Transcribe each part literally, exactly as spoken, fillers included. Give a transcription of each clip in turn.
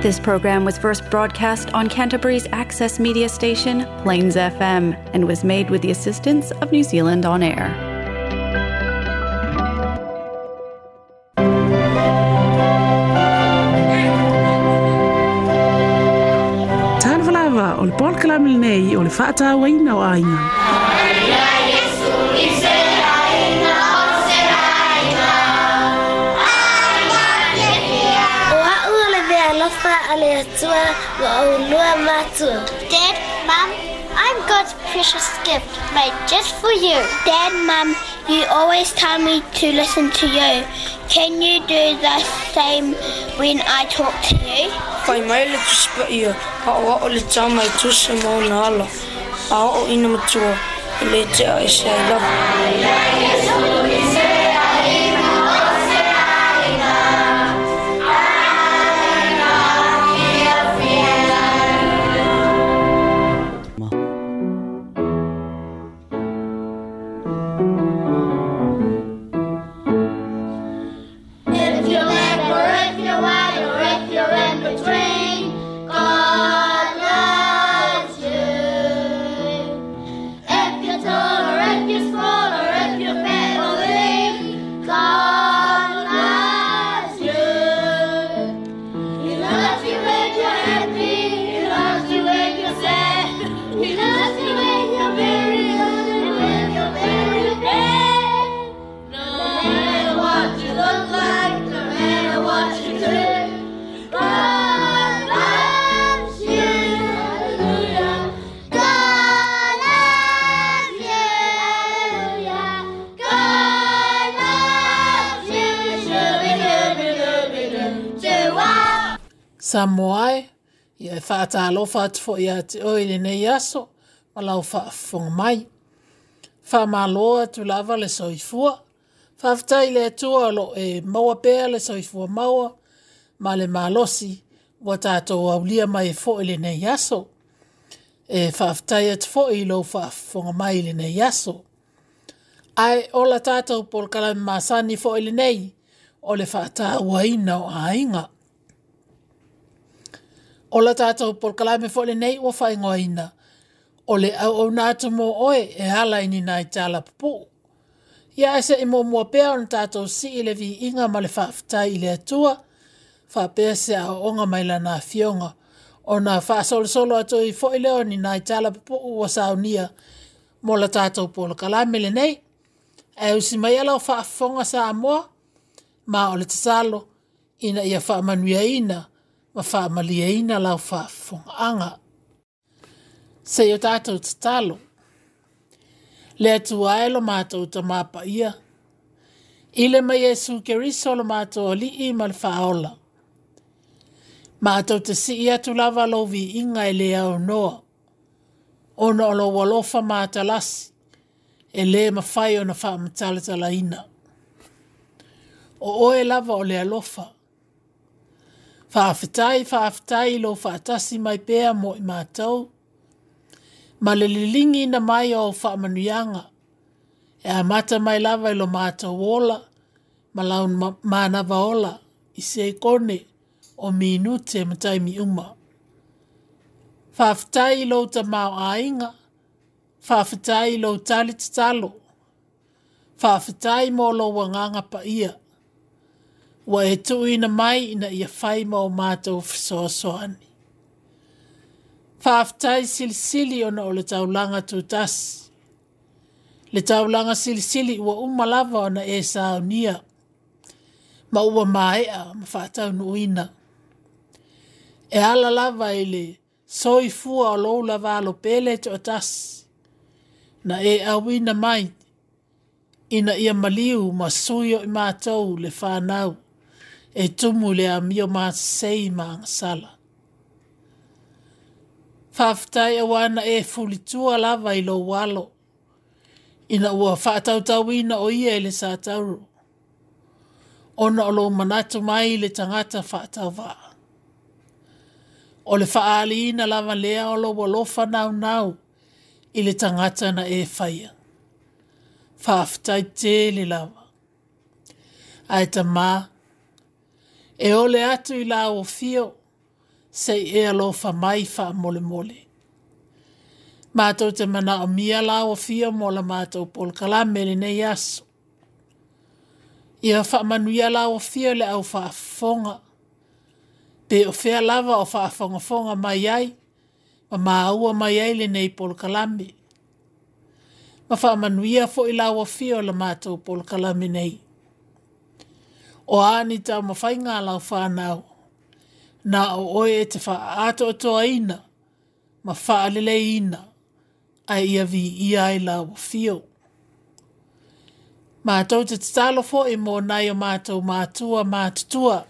This program was first broadcast on Canterbury's access media station, Plains F M, and was made with the assistance of New Zealand On Air. Talofa lava o le polokalame lenei o le faatauaina o aiga. Dad, Mum, I'm God's precious gift made just for you. Dad, Mum, you always tell me to listen to you. Can you do the same when I talk to you? Whai mai le tusipa ia, a o o le tama i tusa mauna ala, a o ina matua, e le te a ese ai lava. Samoa e, ia e whaatalofa atu fo ia te oi le nei aso, ma lau whaafonga mai. Whaamalo atu lava le soifua. Whaaftai le atua lo e maua pea le soifua maua, ma le malosi, ua tātou aulia mai e fo i le nei aso. E whaaftai atu fo i lau whaafonga mai le nei aso. Ai ola tātou polokalame masani fo i le nei, o le whaatauaina o aiga. O la tātou polokalame fo le nei ua whaingoaina. O le au au nā mō oe e hala ini nai tala pupu. Ia ese i mua pea o na tātou si i le vi inga ma le whaaftai i le atua. Whaapea se au onga mai la nā fionga. O nā whaasolosolo atu i fo i leo ni nai tala pupu ua saunia mō la tātou polokalame le nei. E usi mai ala o whaafonga sa amoa. Ma o le tatalo ina ia whaamanuia ina. Ma whaamalia lau whaafonga. Se o tātou tatalo. Le atua e lo mātou ta mapa ia. Ile mai Iesu Keriso lo mātou ali'i ma le whaola. Mātou te sii atu lava lo vi inga e le au noa. Ona o lo walofa mātalasi. E le mawhai o na whaamatalatala ina. O oe lava o le alofa. Whaafetai, whaafetai lo whaatasi mai pea mo i mātou. Ma le lilingi na mai o whaamanuianga. E amata mai lava i lo mātou ola, ma lau mānawa ola, i se kone o minute matai mi uma. Whaafetai i lo ta mao ainga, whaafetai i lo tali tatalo, whaafetai mo lo wanganga pa ia. Ua e tuuina mai ina ia whai ma o mātou whasoasoani. Whaaftai silisili ona o le taulanga tūtasi. Le taulanga silisili ua uma lava ona e saunia. Ma ua maea ma whaataunuina. E ala lava i le soifua o lou lava alo pele te o tasi. Na e awina mai ina ia maliu ma sui o i mātou le whanau. E tumu le a mio māsei maangasala. Whaaftai awana e fulitua lava i lo walo. Ina ua whaatautauina o ia e le sātauro. Ona o lo manatu mai le tangata whaatauvaa. O le whaaliina lava lea o lo walofa nau nau i le tangata na e whaia. Whaaftai tele lava. Ai ta mā, e ole atu i la o fio, Se'i e alofa mai faamolemole. Matou te manaomia lau afio mo la matou polokalame lenei aso. Ia faamanuia lau afio i le au faafofoga, pe o fea lava o faafogafoga mai ai, ma maua mai ai lenei polokalame. Ma faamanuia foi lau afio i la matou polokalame nei. O a ni taumafaiga a lau fanau, na o oe e te faaatoatoaina ma faaleleiina, ae ia viia ai lau afio. Matou te tatalo foi mo nai o matou matua matutua,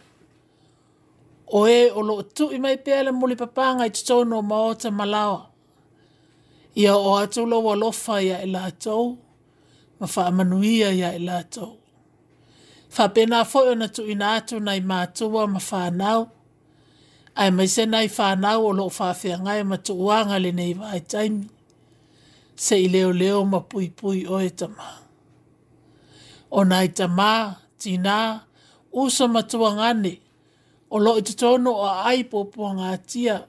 o e o loo tui mai pea le mulipapaga i totonu o maota ma laoa. Ia oo atu lou alofa ia i latou ma faamanuia ia i latou. Faapena foi ona tuuina atu nai matua ma fanau, aemaise nai fanau o loo faafeagai ma tuuaga i lenei vaitaimi. Se'i leoleo ma puipui oe Tama. O nai tamā, tinā, uso ma tuagane o loo i totonu o aai puapuagatia,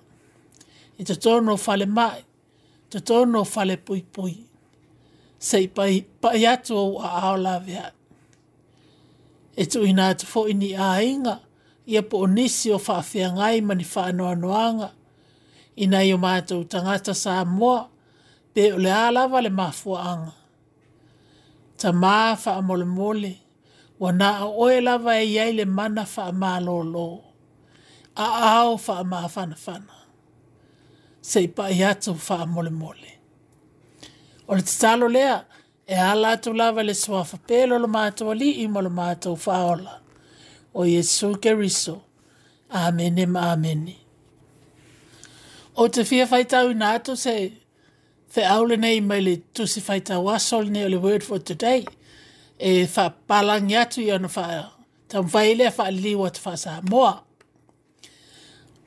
i totonu o falemai, totonu o fale puipui. Se'i pai atu ou aao laveai. E tuuina atu foi ni aiga, ia po o nisi o faafeagai ma ni faanoanoaga i nai o matou tagata Samoa, pe o le a lava le mafuaaga. Tama faamolemole, ua na o oe lava e i ai le mana faamalolo, aao faamafanafana. Se'i pai atu faamolemole. O le tatalo lea e ala atu lava i le suafa pele o lo matou Alii ma lo matou Faaola, o Iesu Keriso. Amene ma amene. Ou te fia faitauina atu se feau lenei mai le tusi faitau aso lenei o le Word for Today, e faapapalangi atu ia ona taumafai ai lea faaliliu atu faa-Samoa.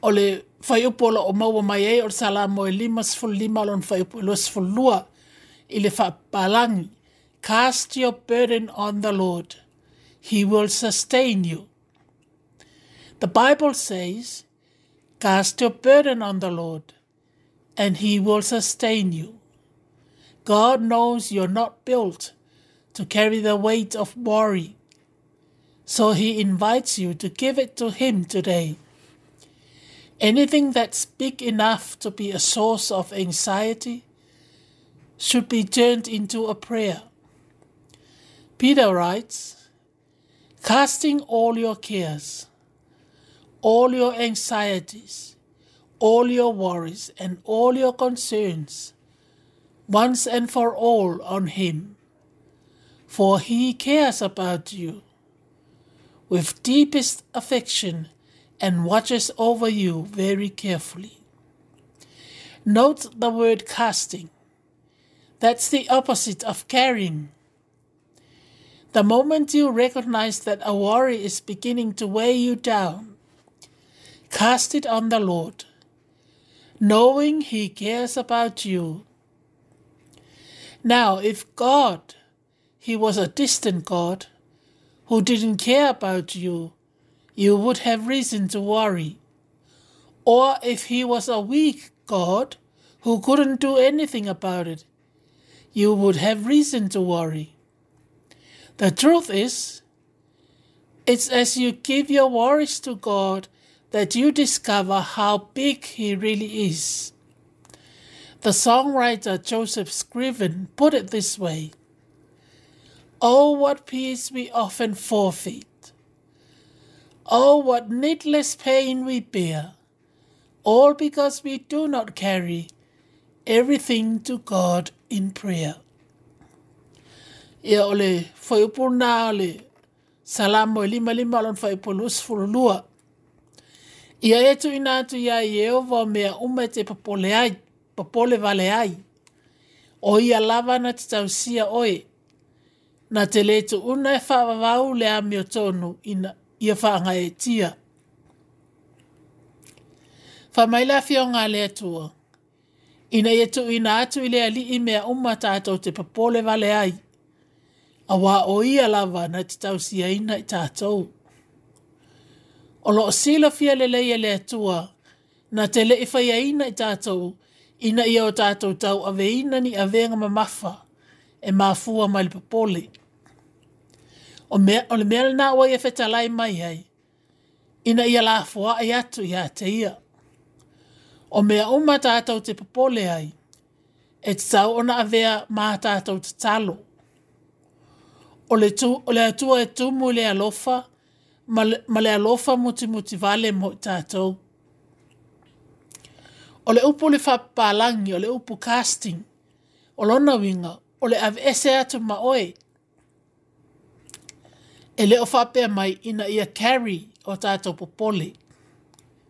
O le fuaiupu o loo maua mai ai o le Salamo e limasefulu lima lona fuaiupu e luasefulu lua i le faapapalangi. Cast your burden on the Lord, he will sustain you. The Bible says, cast your burden on the Lord, and he will sustain you. God knows you're not built to carry the weight of worry, so he invites you to give it to him today. Anything that's big enough to be a source of anxiety should be turned into a prayer. Peter writes, casting all your cares, all your anxieties, all your worries, and all your concerns, once and for all on him, for he cares about you with deepest affection and watches over you very carefully. Note the word casting. That's the opposite of carrying. The moment you recognize that a worry is beginning to weigh you down, cast it on the Lord, knowing he cares about you. Now, if God, he was a distant God who didn't care about you, you would have reason to worry. Or if he was a weak God who couldn't do anything about it, you would have reason to worry. The truth is, it's as you give your worries to God that you discover how big he really is. The songwriter Joseph Scriven put it this way: Oh, what peace we often forfeit. Oh, what needless pain we bear, all because we do not carry everything to God in prayer. Ia o le fuaiupu lena o le Salamo e lima lima lona fuaiupu luasefulu lua. Ia e tuuina atu iā Ieova o mea uma e te popole ai, popole vale ai. O ia lava na te tausia oe, na te lē tuuna e faavavau le amiotonu ina ia faagaeetia. Fai mai le afioga a le Atua, ina ia tuuina atu i le Alii mea uma tatou te popole vale ai, auā o ia lava na te tausiaina i tatou. O loo silafia lelei e le Atua, Na te le'i faiaina i tatou ina ia o tatou tauaveina ni avega mamafa e mafua mai le popole. O, mea, o le mea lena ua ia fetalai mai ai, ina ia lafoai atu ia te ia. O mea uma tatou te popole ai, e tatau ona avea ma tatou tatalo. O le, tu, o le Atua e tumu i le alofa ma le, ma le alofa mutimuti vale mo i tatou. O le upu le faapapalagi, o le upu casting, o lona uiga, o le aveese atu ma oe. E le o faapea mai ina ia carry o tatou popole,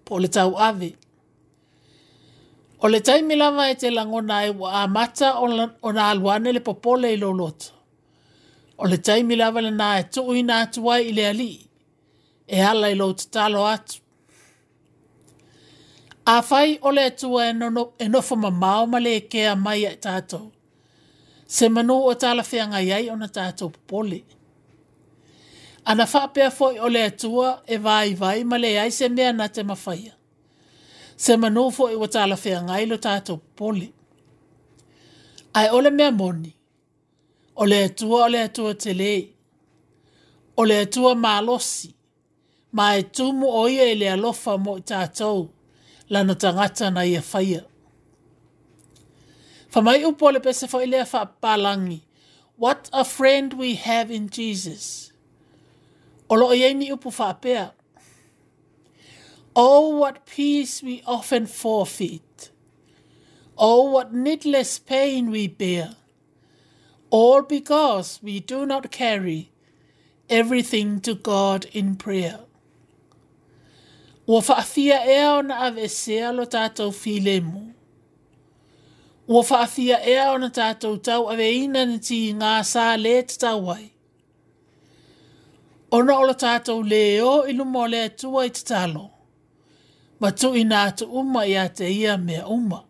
po o le tauave. O le taimi lava e te lagona ai ua amata ona alu ane le popole i lou loto. O le taimi lava lena e tuuina atu ai i le Alii, e ala i lou tatalo atu. Afai o le Atua e, nono, e nofo mamao ma le kea mai ia i tatou, se manu o talafeagai ai ona tatou popole. Ana faapea foi o le Atua e vaivai ma leai se mea na te mafaia, se manu foi ua talafeagai lo tatou popole. Ae o le mea moni, o le Atua o le Atua tele, o le Atua malosi, ma e tumu o ia i le alofa mo i tatou, lana tagata na ia faia. Fai mai upu o le pese foi lea faapapalagi, what a friend we have in Jesus. O loo i ai ni upu faapea. Oh, what peace we often forfeit. Oh, what needless pain we bear. All because we do not carry everything to God in prayer. Ua faafia ea ona aveesea lo tatou filemu. Ua faafia ea ona tatou tauaveina ni tiga sa le tatau ai. Ona o lo tatou le o i luma o le Atua i tatalo, ma tuuina atu uma ia te ia mea uma.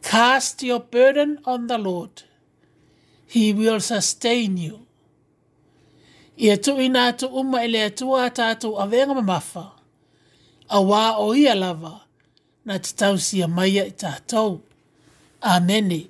Cast your burden on the Lord. He will sustain you. Ia tuuina atu uma i le Atua a tatou avega mamafa, auā o ia lava na te tausia mai ia i tatou. Amene.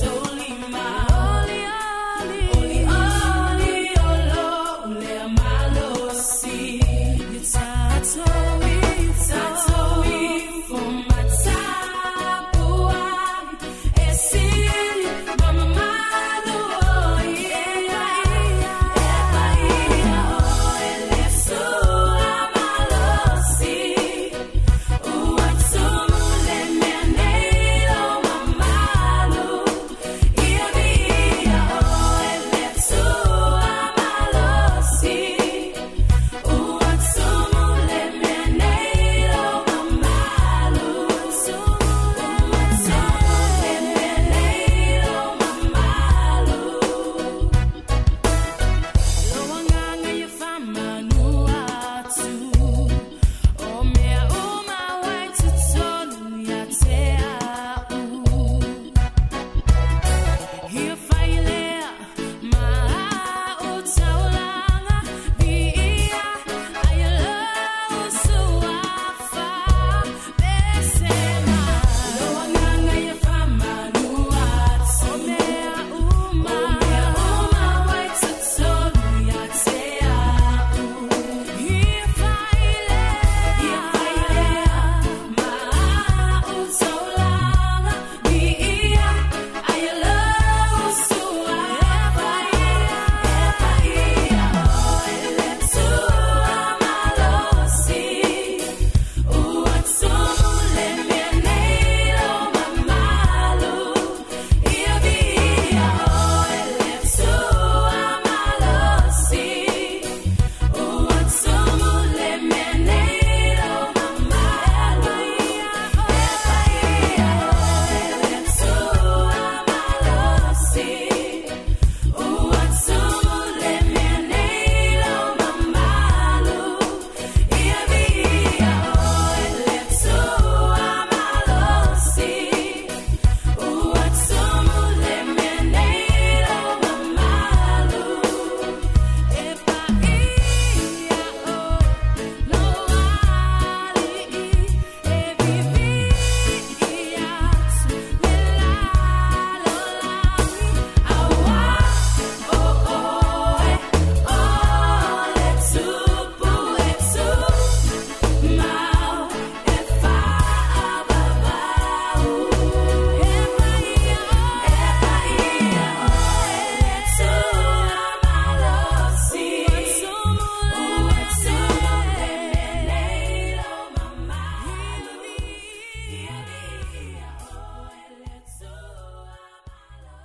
Tolima. Oli, oli.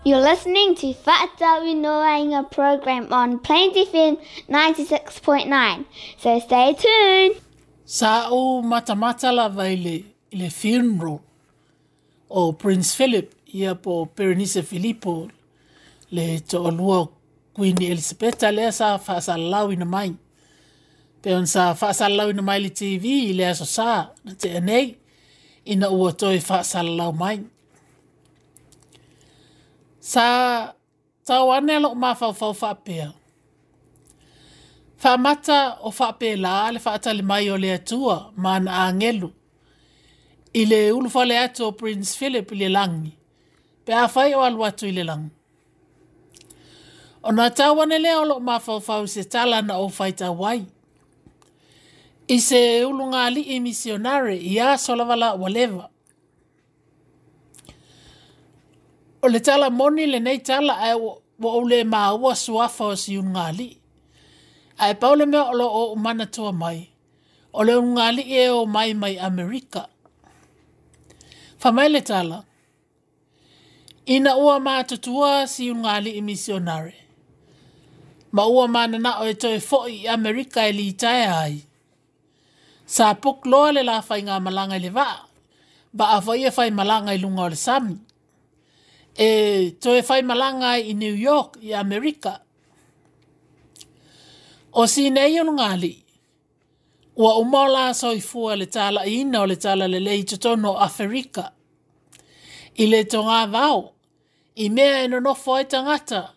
You're listening to Fa'atauinoaina program on Plains F M ninety-six point nine. So stay tuned. Sa o matamata lava i le, i le funeral o Prince Philip, ia po Berenice Filipo, le to'olua Queen Elisabeta lea sa fa'asalalauina mai. Pe ona sa fa'asalalauina mai le T V i le aso sa na tea nei, ina ua toe fa'asalalau mai. Sa tau ane lo'o mafaufau fa'apea. Fa'amata o fa'apelā le fa'atali mai o le Atua ma ana agelu i le ulufale atu o Prince Philip i le lagi, pe afai o alu atu i le lagi. Ona tau ane lea o lo'o mafaufau i se tala na ou faitau ai. I se ulugalii misionare i aso lava la ua leva. O le tala moni lenei tala ae ua ou le maua suafa o si ulugalii. Ae pau le mea o loo ou manatua mai, o le ulugalii e o mai mai Amerika. Fa'amai le tala, ina ua matutua si ulugalii misionare, ma ua manana'o e toe fo'i i Amerika e litaea ai. Sa puk loa le la faigamalaga i le vaa, vaa fo'i e faimalaga i luga o le sami. E toe faimalaga ai i New York i Amerika. O sinei ulugalii, ua uma o la soifua le tala'iina o le talalelei i totonu o Aferika. I le togavao, i mea e nonofo ai tagata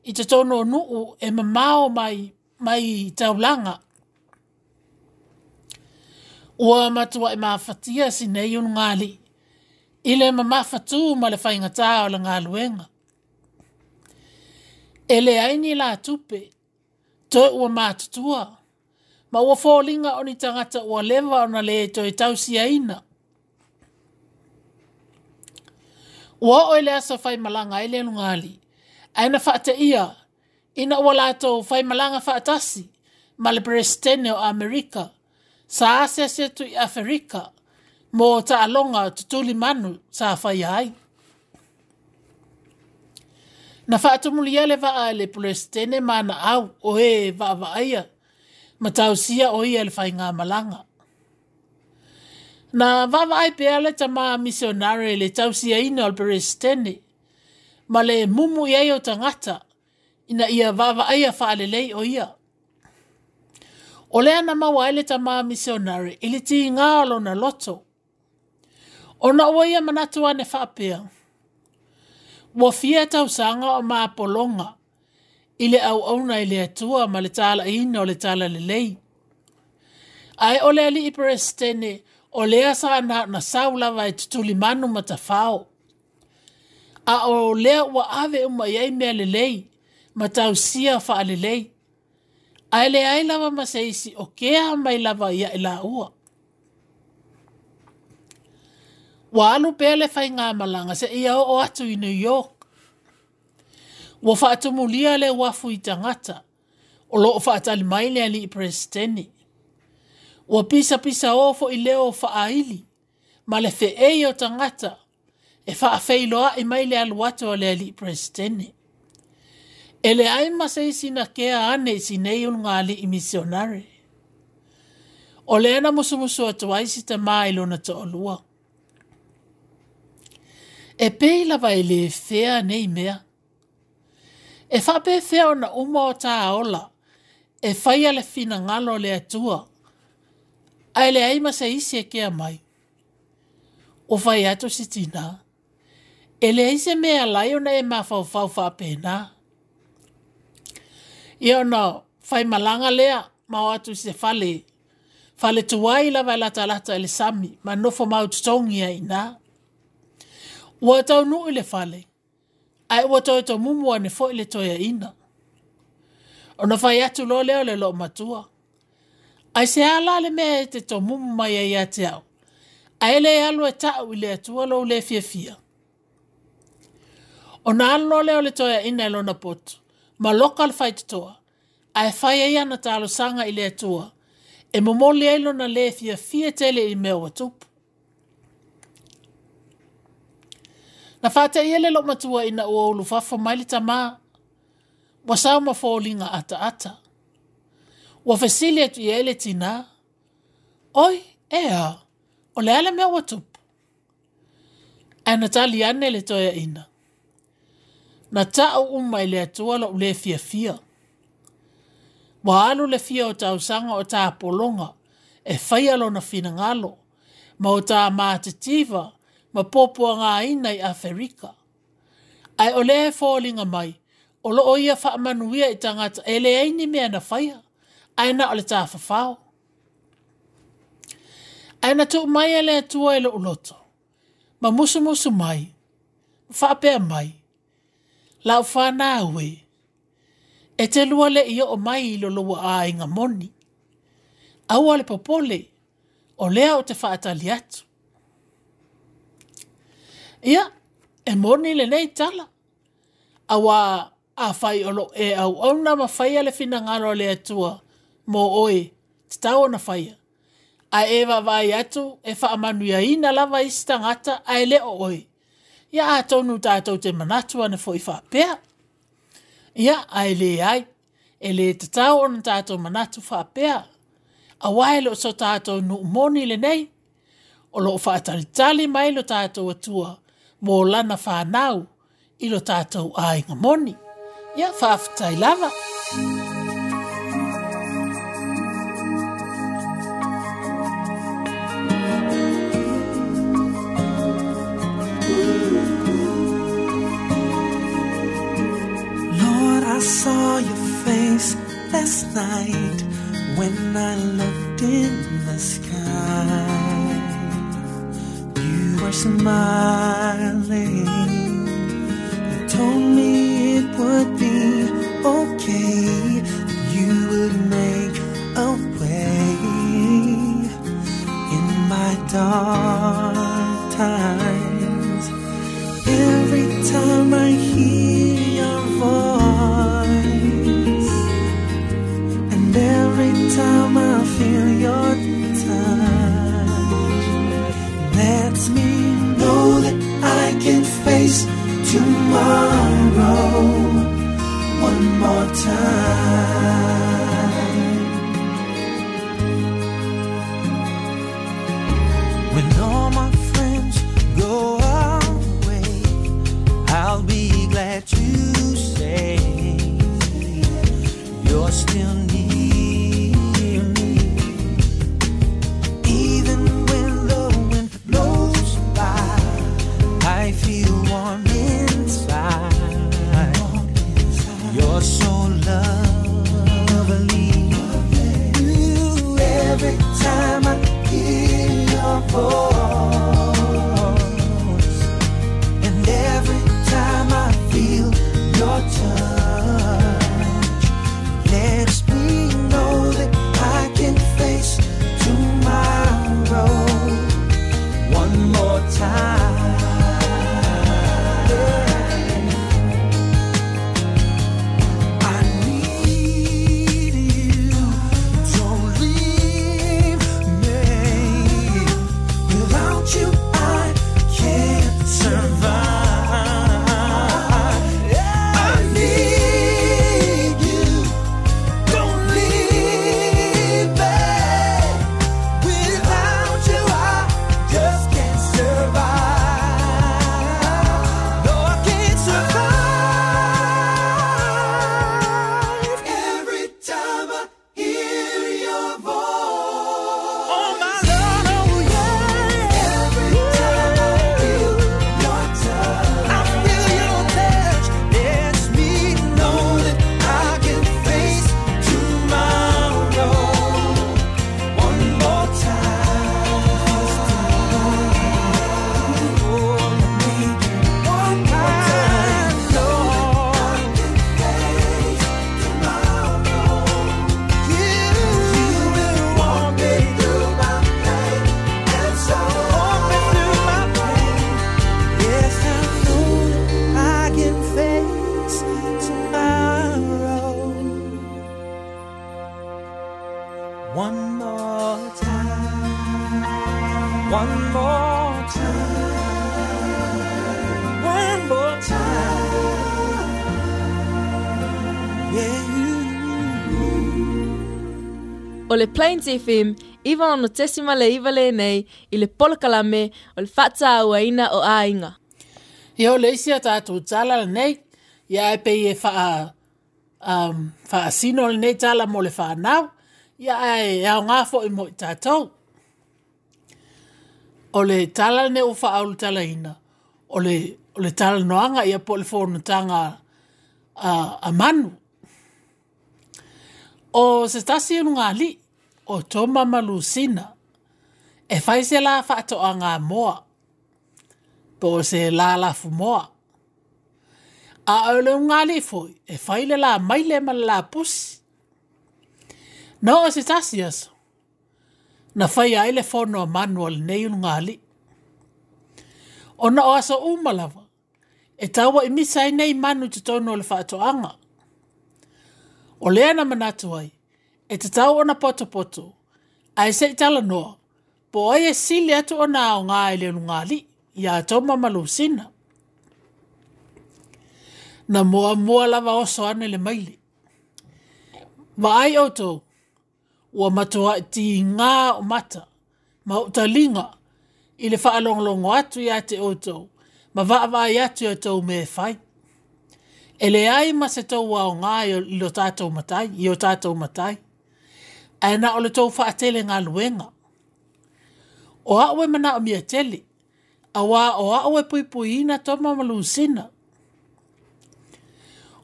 i totonu o nu'u e mamao mai, mai taulaga. Ua matua'i mafatia sinei ulugalii, i le mamafatū ma le faigatā o le galuega. E leai ni la tupe, toe ua matutua, ma ua foliga o ni tagata ua leva ona lē toe tausiaina. Ua oo i le aso faimalaga ai le ulugalii, ae na fa'ate'ia ina ua latou faimalaga fa'atasi ma le Peresetene o Amerika, sa asiasi atu i Aferika mo ta'aloga tutuli manu sa faia ai. Na fa'atumulia le va'a e le Peresetene ma ana au o e va'ava'aia ma tausia o ia le faigamalaga. Na va'ava'ai pea le tamā misionare le tausiaina o le Peresetene ma le mumu i ai o tagata ina ia va'ava'aia fa'alelei o ia. O lea na maua ai le tamā misionare i le tigā o lona loto. Ona ua ia manatu ane fa'apea, ua fia tausaga o mapologa i le auauna i le Atua ma le tala'iina o le talalelei. Ae o le ali'i Peresetene o lea sa na na sau lava e tutulimanu ma tafao. A o lea ua ave uma i ai mea lelei ma tausia fa'alelei. Ae leai lava ma se isi o kea mai lava ia i laua. Ua alu pea le faigamalaga se'ia oo atu i New York. Ua fa'atumulia le uafu i tagata o loo fa'atali mai le ali'i Peresetene. Ua pisapisaō fo'i leo fa'aili ma le fe'ei o tagata e fa'afeiloa'i mai le alu atu o le ali'i Peresetene. E leai ma se isi na kea ane i sinei ulugalii misionare. O lea na musumusu atu ai si tamā i lona to'olua. E pei lava e lē fea nei mea. E fa'apefea ona uma o tā ola e faia le finagalo o le Atua, ae leai ma se isi e kea mai. O fai atu si tinā, e leai se mea alai ona e mafaufau fa'apena. Ia ona faimalaga lea ma o atu i se fale, fale tuai lava e latalata i le sami ma nofo mautotogi ai inā. Ua taunu'u i le fale, ae ua toe tomumu ane fo'i le toeaina. Ona fai atu loa lea o le lo'omatua, ai se a la le mea e te tomumu mai ai ia te a'u, ae lē alu e ta'u i le Atua lou lē fiafia. Ona alu loa lea o le toeaina i lona potu, ma loka le faitotoa, ae fai ai ana talosaga i le Atua, e momoli ai lona lē fiafia tele i mea ua tupu. Na fāteia le loo matua ina ua ulufafo mai le tamā, ua sao ma foliga ataata. Ua fesili atu i ai le tinā, "Oi, e a, o le a le mea ua tupu?" Ae na tali ane le toeaina, "Na ta'u uma i le Atua lo'u lē fiafia. Ua alu le fia o tausaga o tapologa e faia lona finagalo ma o tā matitiva ma puapuagaina i Aferika. Ae o lea e foliga mai o loo ia faamanuia i tagata e leai ni mea na faia, ae na o le tafafao. Ae na tuu mai e le Atua i lou loto, ma musumusu mai, ma faapea mai, lau whanau e, e te lua le i o mai i lo lua aiga moni. Aua le popole, o lea o te whaatali atu." Ia, e moni lenei tala. Aua a whai o lo e au auna ma whaia le finagalo le Atua mō oe, te tau ona whaia. Ae e vaavaai atu e faamanuiaina lava isi tagata ae le o oe. Ia atonu tātou te manatu ane foi faapea. Ia, ae leai, e le tatau ona tātou manatu faapea. Aua e le o so tātou nuu moni lenei. O loo faatalitali mai lo tātou Atua mō lana whanau i lo tātou aiga moni. Ia, faafetai lava. Lord, I saw your face last night when I looked in the sky. You were smiling. You told me it would be okay, that you would make a way in my dark times. Every time I hear your voice, and every time I feel your touch, lets me know that I can face tomorrow one more time. When all my friends go away, I'll be glad to say you're still near me. Even when the wind blows by, I feel warm inside. You're so lovely. Yeah. O le Plains F M, iwa ono tesima le iwa le nei, i le polokalame o le whaatauaina o aiga. Ia o le isi a tātou tala lenei, ia e pei e whaa, um, whaasino lenei tala mo le whanau, ia e ao ngā fo i mo i tātou. O le tala lenei o whaaulu tala ina, o le, o le tala noanga ia po le whonutanga a, a manu. O se tasi unu li, o Toma Malusina, e whai se la whaatoa ngā moa, po se la lafu moa. A o le unga li foi, e whai le la maile ma le la pusi. No o se tasi aso, na whai ai le whono a manu o le nei unga li. Ona o aso umalawa, e taua i misa ai nei manu te tono o le whaatoanga. O lea na manatu ai, e te tau ona poto poto, a e se i tala noa, po ai e sili atu ona ao ngā e le unga li, ia Toma Malusina. Na mua mua lava oso ane le maile. Vaai outou, ua matua i ti ngā o mata, ma utalinga, i le whaalonglongo atu ia te outou, ma vaavai atu ia tou me whai. E le ai ma se tau wao ngā i lo tātou matai, i o tātou matai. Ae na o le tau whaatele ngā luenga. O au e mana o mia tele, a wā o au e puipuina Toma Malusina.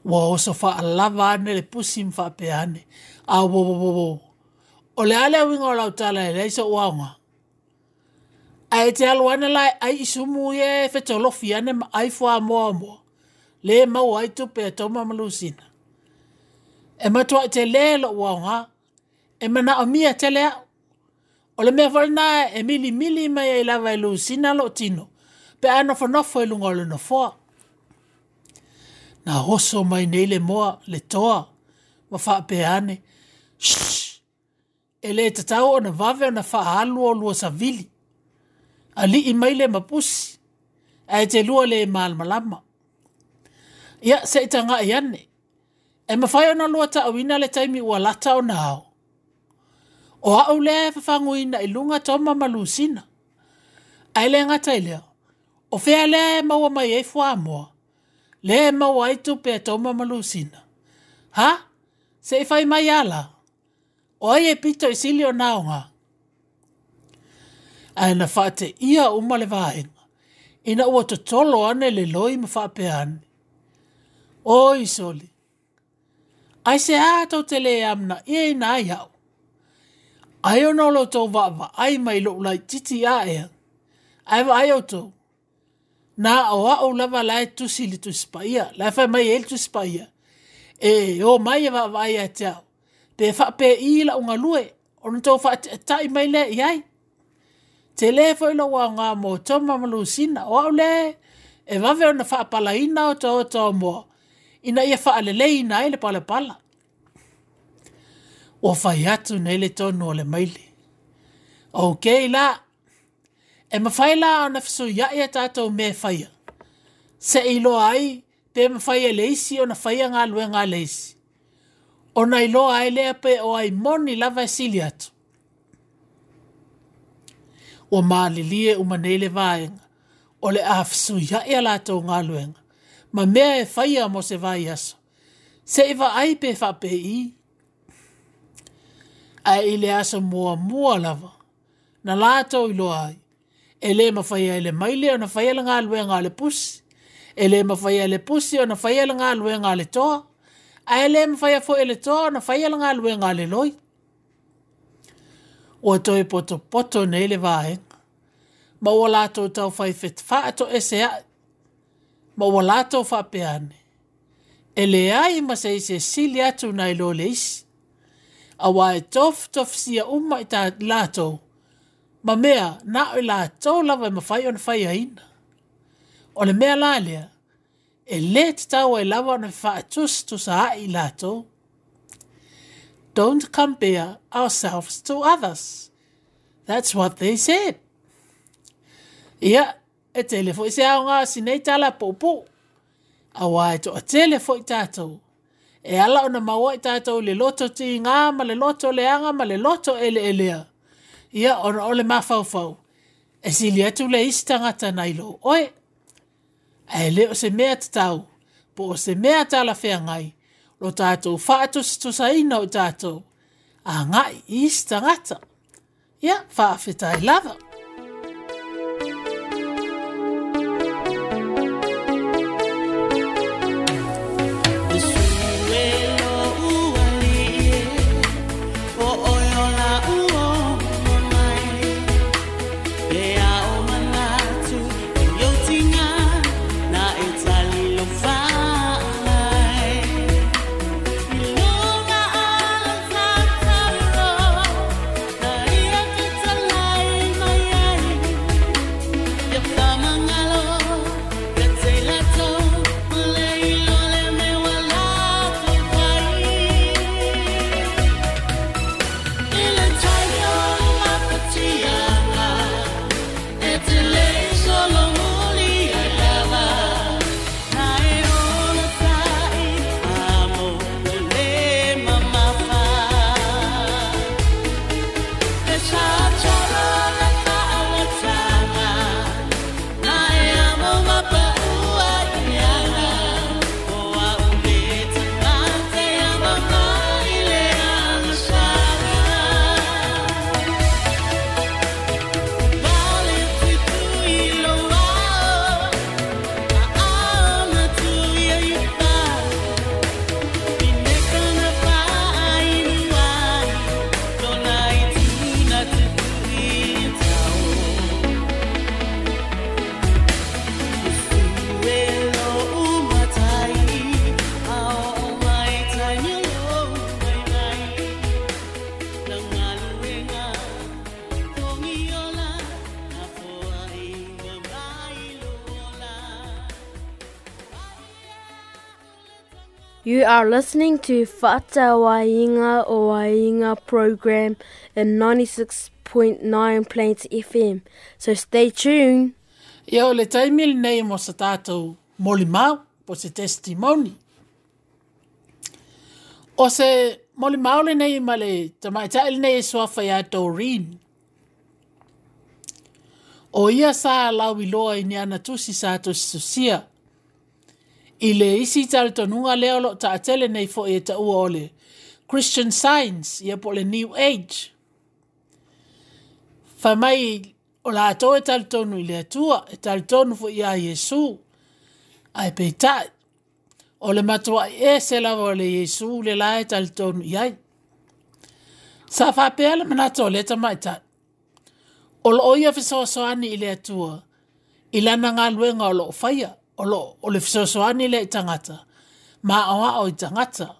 Ua oso whaalava ane le pusi mwhaapea ane. A wo wo wo wo. O le ale winga o lau tala e leisa uaunga. A e te alu ane lai ai isumu ye fetolofi ane ma ai fua moa moa. Le mau ai tupe a Toma Malusina. E matua i te le lo uaunga. E mana o mia tele au. O le mea whalina e mili mili mai ai lava e Lusina lo tino. Pe a nofonofo e lunga o le nofoa. Na oso mai nei le moa, le toa, ma whaapeane. Shhh! E le tatau o na vave o na whaalu o lua savili. Ali i mai le mapusi. A e te lua le malmalama. Ia, se i tanga i ane. E mawhai ona lua taawina le taimi ua lata o na ao. O au lea e whawhanguina i lunga Toma Malusina. Ai le ngata i lea. O whea lea e maua mai e fua moa. Le e maua ai tupe a Toma Malusina. Ha? Se i whai mai ala. O ai e pito i sili o naonga. Ai na whaate ia uma le vaenga. Ina ua totolo ane le loi ma whaapea ane. Oi soli. Ai se a tau te le amna ia ina ai au. Ai ono lo tau vaava ai mai lo lai titi a ea. Ai wa ai o tau. Nā o au lava lai tusi li tusi paia. Lai whai mai e li tusi paia. E o mai e vaava ai a te au. Pe whape i la unga lue. Ono tau whaate mai le i ai. Te le foi lo wao ngā mō Toma Malusina. O au le e wawe ona whaapalaina o tau tau moa. Ina ia whaalelei ina ai le pala pala. Ua whai atu nei le tonu o le maile. Ok la, e mawhai la ona whisu ia tātou me whaia. Se iloa ai, pe mawhai e leisi ona whaia ngā luenga leisi. Ona iloa ai lea pe o ai moni lava e sili atu. Ua maalilie uma nei le vaenga, o le a whisu ia lātou ngā luenga. Ma mea e whaia mo se vai aso. Se iwa ai pe whape i. Ai i le aso mua mua lava. Na lātou iloa ai. E le mawhaia e le maile o na whaia le ngā luenga le pusi. E le mawhaia e le pusi o na whaia le ngā luenga le toa. A e le mawhaia fo e le toa o na whaia le ngā luenga le loi. Ua toi poto poto nei le vaenga. Ma ua lātou tau whai whit whaato e se ai. Ma ua lātou whaapeane. E le ai ma se ise sili atu nai lo le isi. A wā e tof tof sia uma i tā lātou. Ma mea, nā o lātou lava e mawhai o na whai aina. O le mea la lea, e le te tau e lava o na whaatus tusa ai lātou. Don't compare ourselves to others. That's what they said. Ia, e tele fo i se ao ngā sinei tala pōpō. A wā e toa tele fo i tātou. E ala ona maua i tātou le loto tīngā ma le loto leaga ma le loto eleelea. Ia ona o le mafaufau. E sili atu le isi tagata nai lo oe. Ae le o se mea tatau, po o se mea talafeagai, lo tātou faatusatusaina o i tātou, agai i isi tagata. Ia, faafetai lava. You are listening to Fa'atauaiga o Aiga program in ninety-six point nine Plains F M. So stay tuned. Ia o le taimi lenei mo sa tātou molimau, po se testimony. O se molimau lenei ma le tamaitai lenei e suafa ia Doreen. O ia sa lauiloa i ni ana tusi sa tusitusia. I le isi talitonuga lea o loo taatele nei foi e taua o le Christian Science, ia po le New Age. Fai mai o latou e talitonu i le Atua, e talitonu foi ia Iesu. Ae peitai, o le matuai ese lava o le Iesu le la e talitonu i ai. Sa faapea le manatu o le tamaitai. O loo ia fesoasoani i le Atua, i lana galuega o loo faia. O lo o le fesoasoani le i tagata, ma o i tagata.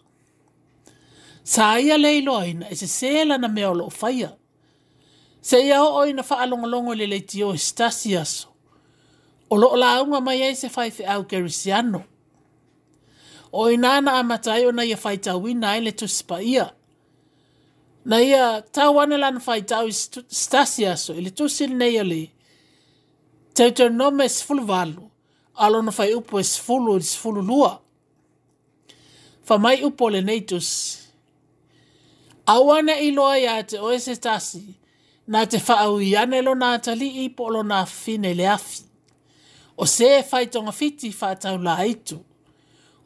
Sa ia le iloaina e sesē lana mea o loo faia. Se ia oo ina faalogologo i le leitio i se tasi aso. O loo lauga mai ai se faifeau kerisiano. O ina na amata ai ona ia faitauina ai le Tusi Paia. Na ia tau ane lana faitau i se tasi aso i le tusi lenei o le Deuteronome sefuluvalu. Alona fai upu e sefulu i le sefulu lua. Fa mai upu o lenei tusi. Aua ne i loa ia te oe se tasi, na te whaau ane lona atalii po o lona afafine i le afi. O se e whai togafiti whaatau la aitu.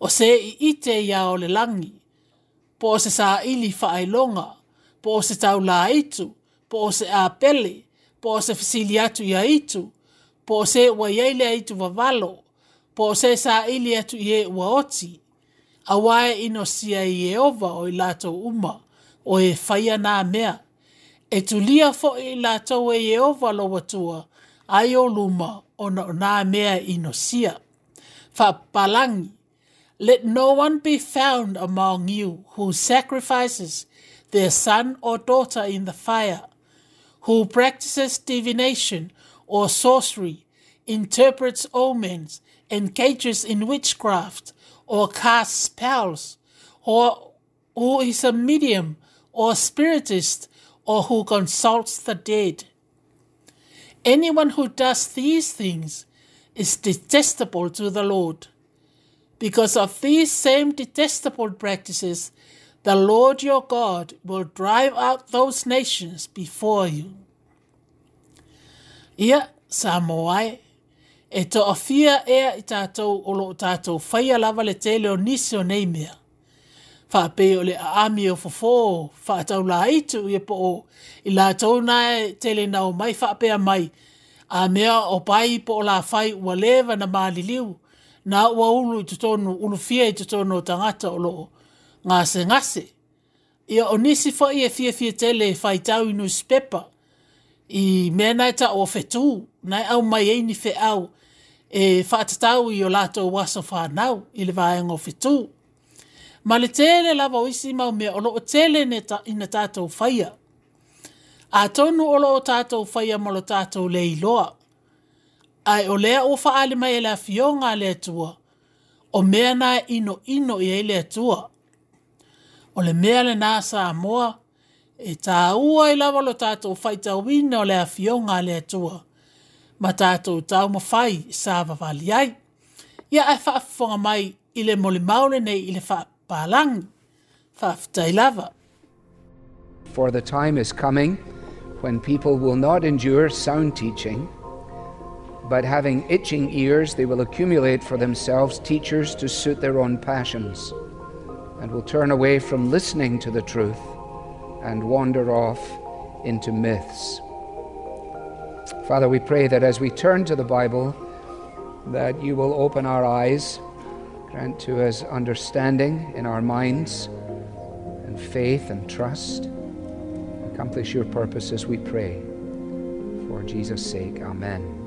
O se i ite ia o le langi. Po o se saili whaailonga. Po o se tau la aitu. Po o se apele. Po o se fisili atu ia itu. Po o se ua iai le aitu vavalo. Po o se saili atu i e ua oti. Awae ino sia i Ieova o i latou uma. O e whaia nā mea. E tulia foi i latou e Ieova lo watua. Ai o luma ona o nā mea ino sia. Whapalangi. Let no one be found among you who sacrifices their son or daughter in the fire, who practices divination or sorcery, interprets omens, engages in witchcraft, or casts spells, or who is a medium or spiritist, or who consults the dead. Anyone who does these things is detestable to the Lord. Because of these same detestable practices, the Lord your God will drive out those nations before you. Ia, Samoa e, e toafia ea i tātou o loo tātou whaia lava le tele o nisi o nei mea. Faapei o le aami o fofo, faatau la itu ia po o i lātou na e tele nao mai faapea mai, a mea o pai po o la whai ua leva na maliliu, na ua ulu i totonu, ulufia i totonu o tangata o loo ngase ngase. Ia o nisi foi e fia fia tele e whaitau i newspaper, i mea nai ta o whetū, nai au mai e ni wheau, e whaatatau i o lātou waso whanau i le vaenga o whetū. Ma le tele lava o isi mau mea o loo tele ne ta, ina tātou whaia. A tonu o loo tātou whaia mo lo tātou le iloa. Ai o lea o whaale mai e le afioga a le Atua, o mea na ino ino i e le Atua. O le mea le nā Samoa, e tāua i lava lo tātou whaitauina o le afioga a le Atua, ma tātou taumawhai sa vavali ai. Ia ai whaafonga mai i le mole maole nei i le whaapalangi, whaaftai lava. For the time is coming when people will not endure sound teaching, but having itching ears, they will accumulate for themselves teachers to suit their own passions, and will turn away from listening to the truth and wander off into myths. Father, we pray that as we turn to the Bible, that you will open our eyes, grant to us understanding in our minds, and faith and trust. Accomplish your purposes, we pray. For Jesus' sake, amen.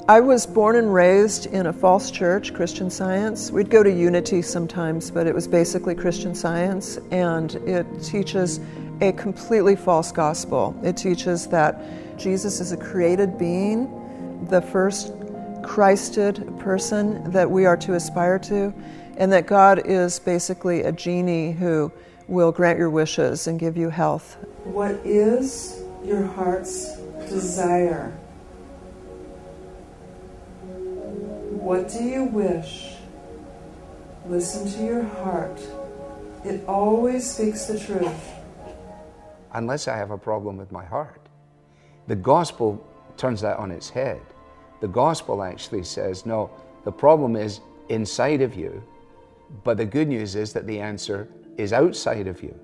I was born and raised in a false church, Christian Science. We'd go to Unity sometimes, but it was basically Christian Science, and it teaches a completely false gospel. It teaches that Jesus is a created being, the first Christed person that we are to aspire to, and that God is basically a genie who will grant your wishes and give you health. What is your heart's desire? What do you wish? Listen to your heart. It always speaks the truth. Unless I have a problem with my heart. The gospel turns that on its head. The gospel actually says, no, the problem is inside of you, but the good news is that the answer is outside of you.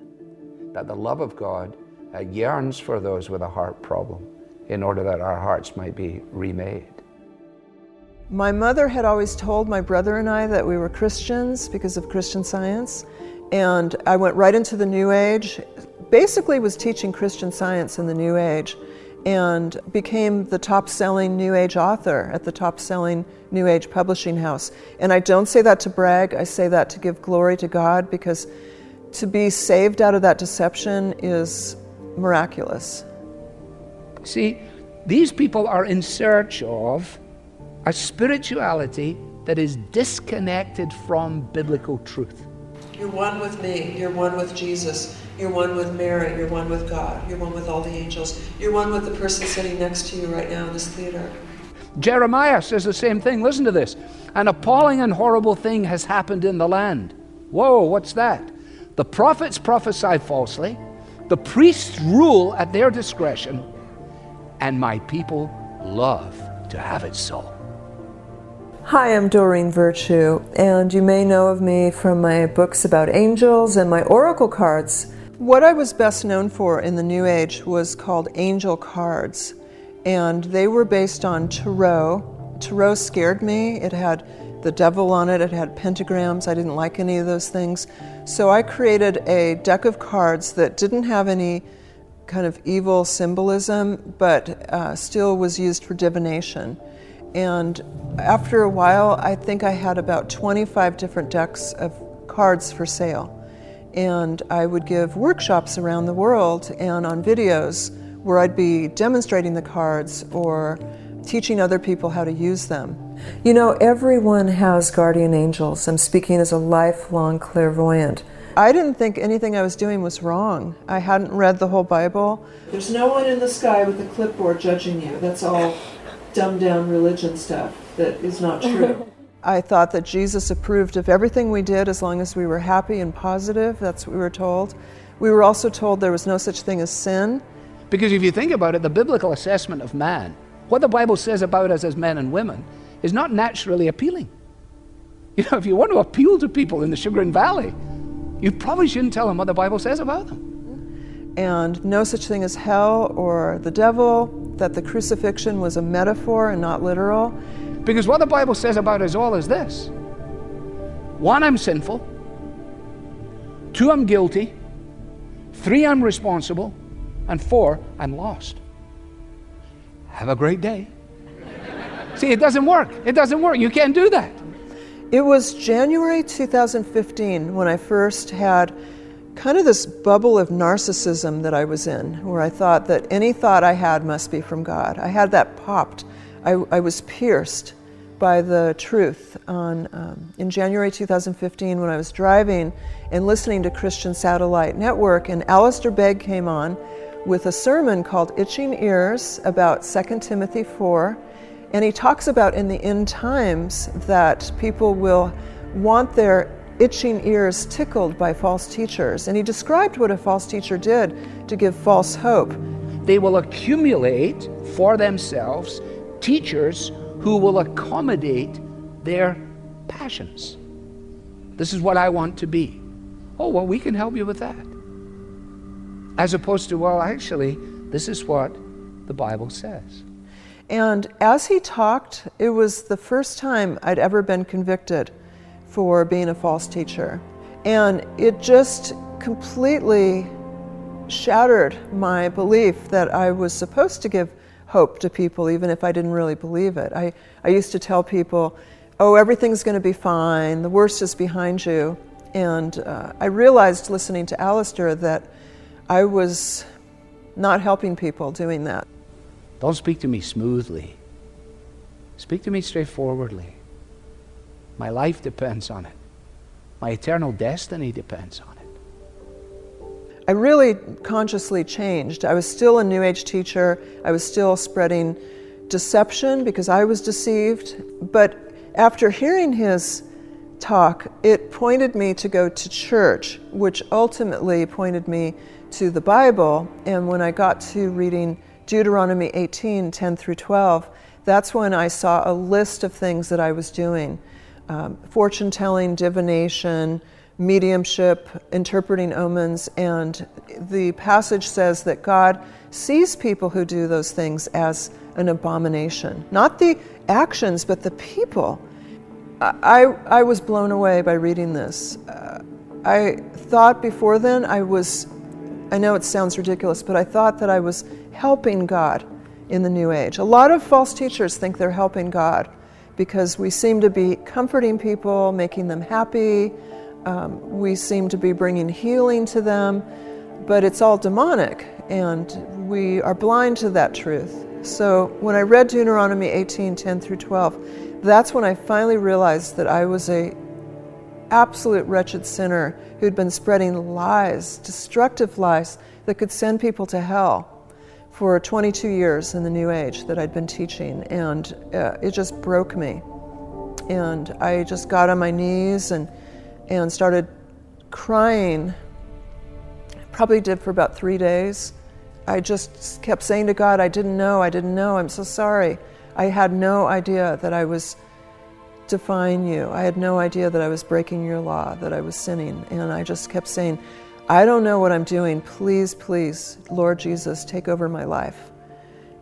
That the love of God uh, yearns for those with a heart problem in order that our hearts might be remade. My mother had always told my brother and I that we were Christians because of Christian Science, and I went right into the New Age, basically was teaching Christian Science in the New Age, and became the top-selling New Age author at the top-selling New Age publishing house. And I don't say that to brag, I say that to give glory to God, because to be saved out of that deception is miraculous. See, these people are in search of a spirituality that is disconnected from biblical truth. You're one with me, you're one with Jesus, you're one with Mary, you're one with God, you're one with all the angels, you're one with the person sitting next to you right now in this theater. Jeremiah says the same thing. Listen to this. An appalling and horrible thing has happened in the land. Whoa, what's that? The prophets prophesy falsely, the priests rule at their discretion, and my people love to have it so. Hi, I'm Doreen Virtue, and you may know of me from my books about angels and my oracle cards. What I was best known for in the New Age was called angel cards, and they were based on tarot. Tarot scared me. It had the devil on it, it had pentagrams. I didn't like any of those things. So I created a deck of cards that didn't have any kind of evil symbolism, but uh, still was used for divination. And after a while, I think I had about twenty-five different decks of cards for sale. And I would give workshops around the world and on videos where I'd be demonstrating the cards or teaching other people how to use them. You know, everyone has guardian angels. I'm speaking as a lifelong clairvoyant. I didn't think anything I was doing was wrong. I hadn't read the whole Bible. There's no one in the sky with a clipboard judging you. That's all dumbed down religion stuff that is not true. I thought that Jesus approved of everything we did as long as we were happy and positive. That's what we were told. We were also told there was no such thing as sin. Because if you think about it, the biblical assessment of man, what the Bible says about us as men and women, is not naturally appealing. You know, if you want to appeal to people in the Chagrin Valley, you probably shouldn't tell them what the Bible says about them. And no such thing as hell or the devil, that the crucifixion was a metaphor and not literal. Because what the Bible says about us all is this. One, I'm sinful. Two, I'm guilty. Three, I'm responsible. And four, I'm lost. Have a great day. See, it doesn't work. It doesn't work. You can't do that. It was January two thousand fifteen when I first had kind of this bubble of narcissism that I was in, where I thought that any thought I had must be from God. I had that popped. I, I was pierced by the truth on, um, in January two thousand fifteen when I was driving and listening to Christian Satellite Network, and Alistair Begg came on with a sermon called Itching Ears about Second Timothy four, and he talks about in the end times that people will want their itching ears tickled by false teachers. And he described what a false teacher did to give false hope. They will accumulate for themselves teachers who will accommodate their passions. This is what I want to be. Oh, well, we can help you with that. As opposed to, well, actually, this is what the Bible says. And as he talked, it was the first time I'd ever been convicted for being a false teacher. And it just completely shattered my belief that I was supposed to give hope to people, even if I didn't really believe it. I, I used to tell people, oh, everything's gonna be fine, the worst is behind you. And uh, I realized listening to Alistair that I was not helping people doing that. Don't speak to me smoothly. Speak to me straightforwardly. My life depends on it. My eternal destiny depends on it. I really consciously changed. I was still a New Age teacher. I was still spreading deception because I was deceived. But after hearing his talk, it pointed me to go to church, which ultimately pointed me to the Bible. And when I got to reading Deuteronomy eighteen, ten through twelve, that's when I saw a list of things that I was doing. Um, fortune telling, divination, mediumship, interpreting omens, and the passage says that God sees people who do those things as an abomination. Not the actions, but the people. I, I was blown away by reading this. Uh, I thought before then I was, I know it sounds ridiculous, but I thought that I was helping God in the New Age. A lot of false teachers think they're helping God because we seem to be comforting people, making them happy. Um, we seem to be bringing healing to them, but it's all demonic, and we are blind to that truth. So when I read Deuteronomy eighteen, ten through twelve, that's when I finally realized that I was a absolute wretched sinner who'd been spreading lies, destructive lies, that could send people to hell for twenty-two years in the New Age that I'd been teaching, and uh, it just broke me. And I just got on my knees and, and started crying. Probably did for about three days. I just kept saying to God, I didn't know, I didn't know, I'm so sorry. I had no idea that I was defying you. I had no idea that I was breaking your law, that I was sinning. And I just kept saying, I don't know what I'm doing. Please, please, Lord Jesus, take over my life.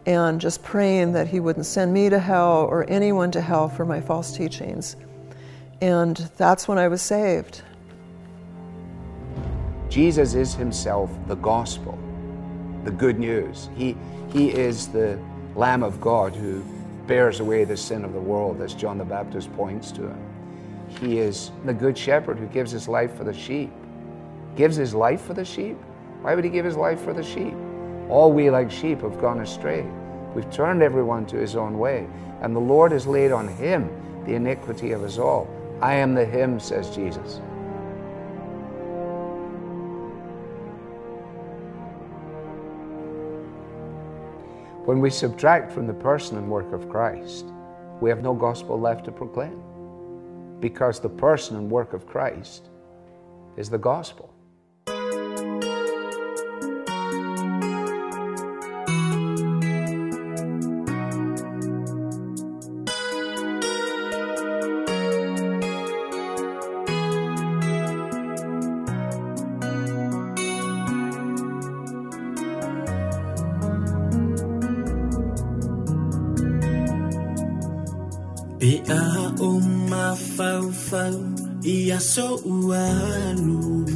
And just praying that he wouldn't send me to hell or anyone to hell for my false teachings. And that's when I was saved. Jesus is himself the gospel, the good news. He, he is the Lamb of God who bears away the sin of the world, as John the Baptist points to him. He is the good shepherd who gives his life for the sheep. Gives his life for the sheep? Why would he give his life for the sheep? All we like sheep have gone astray. We've turned everyone to his own way, and the Lord has laid on him the iniquity of us all. I am the him, says Jesus. When we subtract from the person and work of Christ, we have no gospel left to proclaim. Because the person and work of Christ is the gospel. Ia so ualu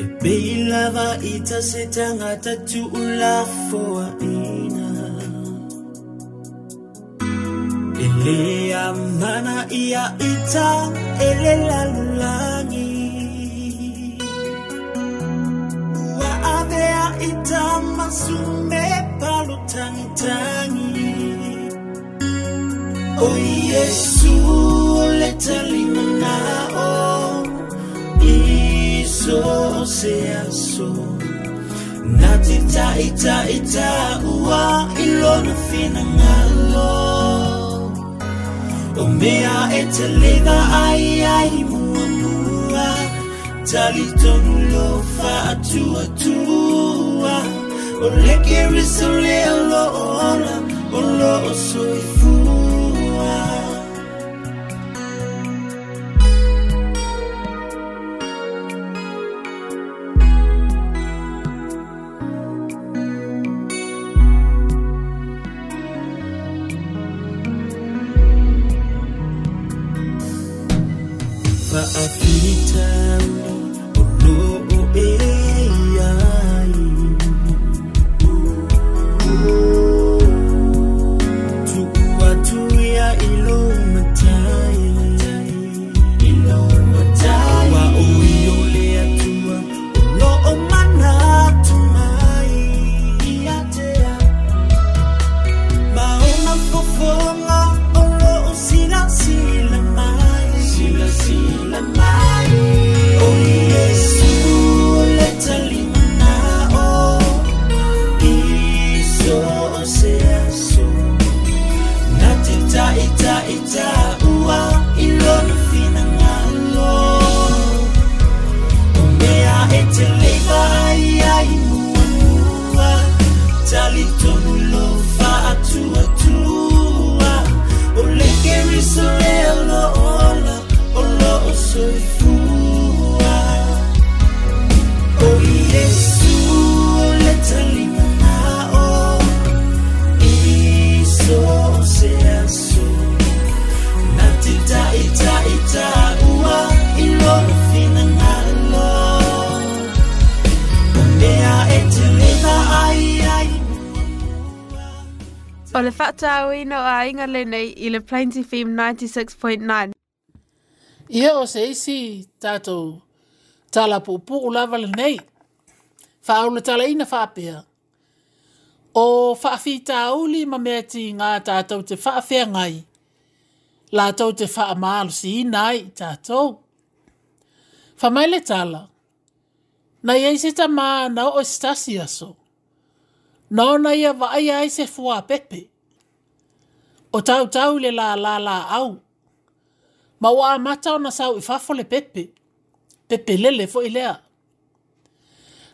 E pei lava ita se tangata tu'ula foaina E le amana ia ita e le lalulagi Ua avea ita masume palu tangitangi O Yesu le talimana o iso se aso na te ta ita ita ua ilona finangalo o mea e te leva ai ai mua mua talitonu lo faatua tua o le keriso le alo ola o lo o soifua. O le whaatauina o aiga lenei i le Plains F M ninety-six point nine. Ia o se isi tātou tala puupuu lava lenei. Whaaula tala ina whaapea. O whaafitauli ma mea ti ngā tātou te whaawhea ngai. Lātou te whaamalusi ina ai tātou. Whamaile tala. Nai ei se tamā na o stasi aso. Nona ia vaai ai se fua pepe. O tau tau le la la la au. Ma ua amata ona sau i fafo le pepe. Pepe lele fo i lea.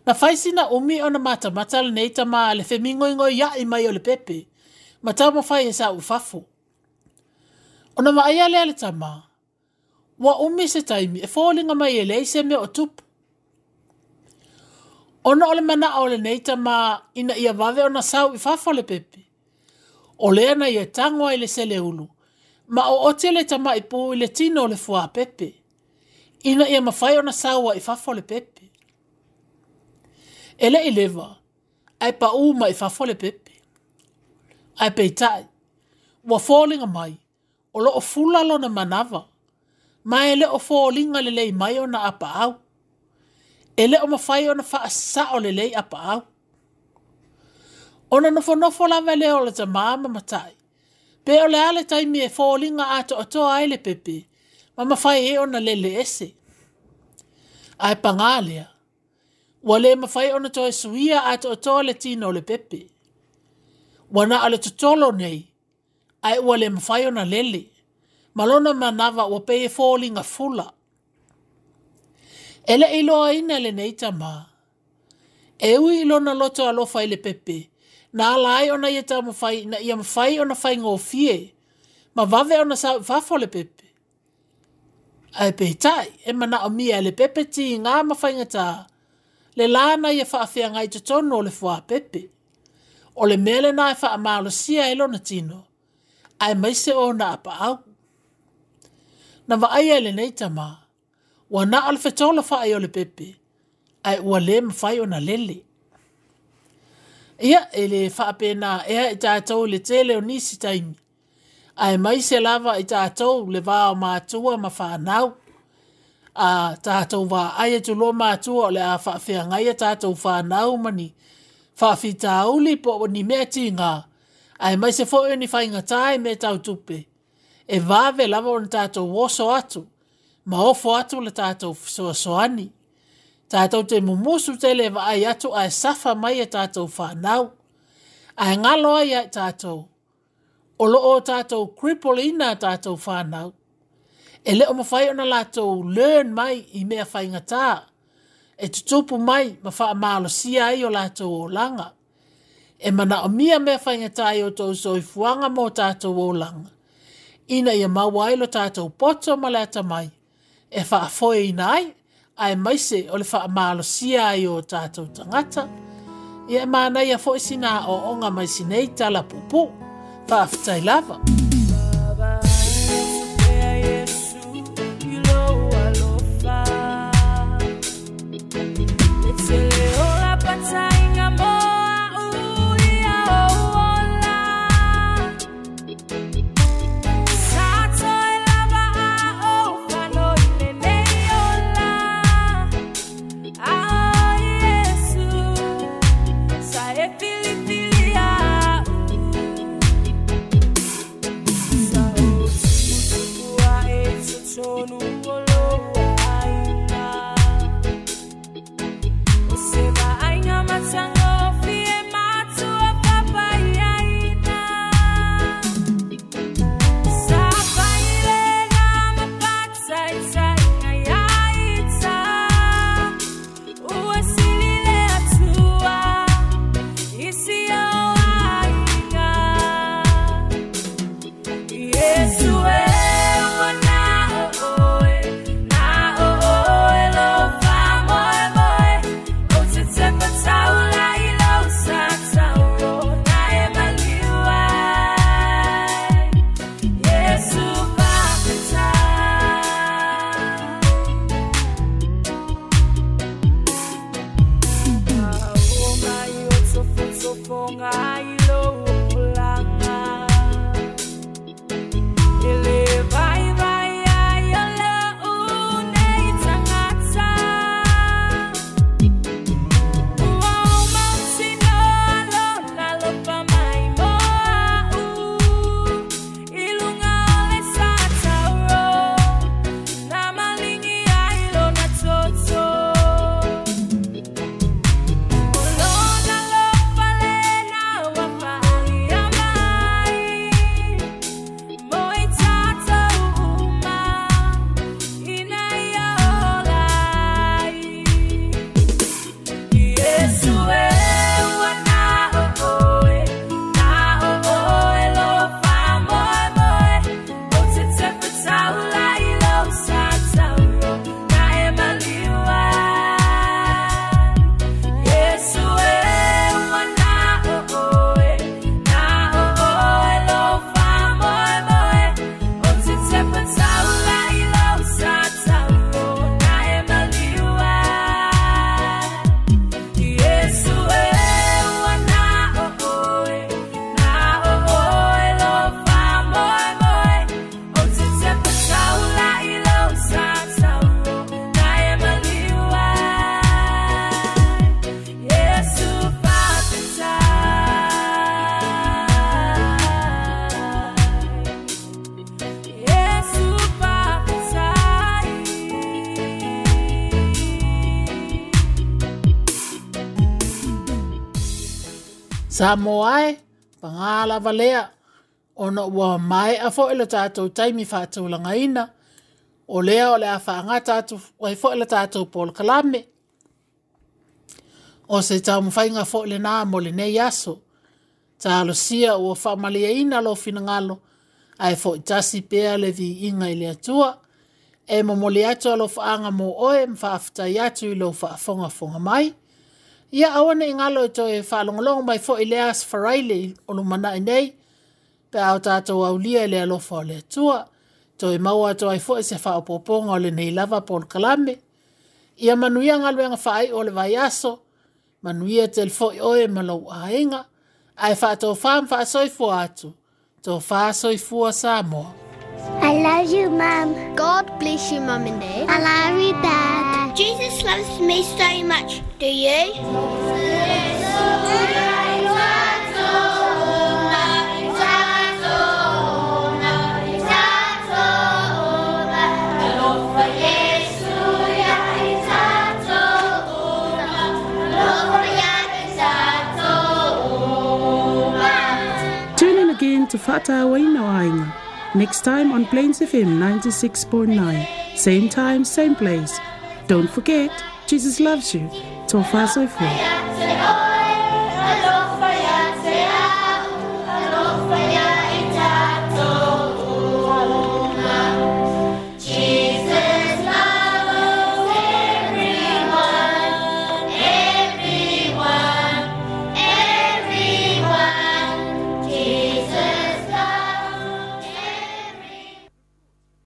Na whaisina umi ona matamata le nei tama le femingoingoi iai mai o le pepe. Ma tau mawhai e sau i fafo. Ona maaia lea le tama. Ua umi se taimi e fōlinga mai e lei se mea o tupu. Ona o le mana o le nei tama ina ia vave ona sau i fafo le pepe. O lea na ia tango ai le seleulu. Ma o ote le tama i pū i le tino o le fua pepe. Ina ia mawhai ona saua i fafo le pepe. E le i lewa, ai pa uma i fafo le pepe. Ai peitai, ua fōlinga mai, o lo o fula lona manawa. Ma e le o fōlinga le lei mai ona apa au. E le o mawhai ona whaasao le lei apa au. Ona nofonofo lava lea o le tamā ma matai. Pe o le ale taimi e fōlinga ato atoa ai le pepe, ma mawhai e ona lele ese. Ai pangā lea. Ua le mawhai ona toe suia ato atoa le tino o le pepe. Ua na o le totolo nei, ai ua le mawhai ona lele. Ma lona manawa ua pei e fōlinga fula. E le iloa ina le nei tamā. E ui i lona loto alofa i le pepe, na ala ai ona ia taumafai ina ia mafai ona faigofie, ma vave ona sau i fafo le pepe. Ae peitai, e manaomia e le pepe tigā ma faigata, le la na ia faafeagai i totonu o le fuapepe. O le mea lena e faamalosia ai lona tino, aemaise ona apaau. Na vaaia e lenei tamā, ua na o le fetolofa'i o le pepe, ae ua lē mafai ona lele. Ia, e lē faapena ea i tatou i le tele o nisi taimi, aemaise lava i tatou le va o matua ma fanau. A tatou vaai atu loa matua o le a faafeagai a tatou fanau ma ni faafitauli po o ni mea tigā, aemaise foi o ni faigatā i mea tau tupe, e vave lava ona tatou oso atu ma ofo atu le tatou fesoasoani. Tatou te mumusu tele e vaai atu ae safa mai e tatou fanau. Ae galo ai ia i tatou, o loo tatou cripple ina a tatou fanau. E le o mafai ona latou learn mai i mea faigatā, e tutupu mai ma faamalosia ai o latou olaga. E manaomia mea faigatā i o tou soifuaga mo tatou olaga, ina ia maua ai lo tatou poto ma le atamai, e faafoeina ai, aemaise o le faamalosia ai o tatou tagata. Ia e manaia foi sina aoaoga mai sinei tala puupuu. Faafetai lava. Samoa e, pagā lava lea, Ona ua mae'a fo'i le tatou taimi faatulagaina, o lea o le a faagata atu ai fo'i le tatou polokalame. O se taumafaiga fo'i lenā mo lenei aso. Talosia ua faamalieina lou finagalo, ae fo'i tasi pea le viiga i le Atua. E momoli atu alofaaga mo oe ma faafetai atu i lou faafogafoga mai. Ia aua ne i galo e toe faalogologo mai fo'i i le Aso Faraile o lumanai nei, pe a o tatou aulia i le alofa o le Atua. Toe maua atu ai fo'i se faaopoopoga o lenei lava polokalame. Ia manuia galuega faaiu o le vaiaso, manuia tele fo'i oe ma lou aiga, ae faatofā ma faasoifua atu, tofa soifua Samoa. I love you, Mum. God bless you, Mum and Dad. I love you, Dad. Jesus loves me so much. Do you? Tune in again to Fa'atauaina o Aiga next time on Plains F M ninety-six point nine. Same time, same place. Don't forget, Jesus loves you. Tofa soifua.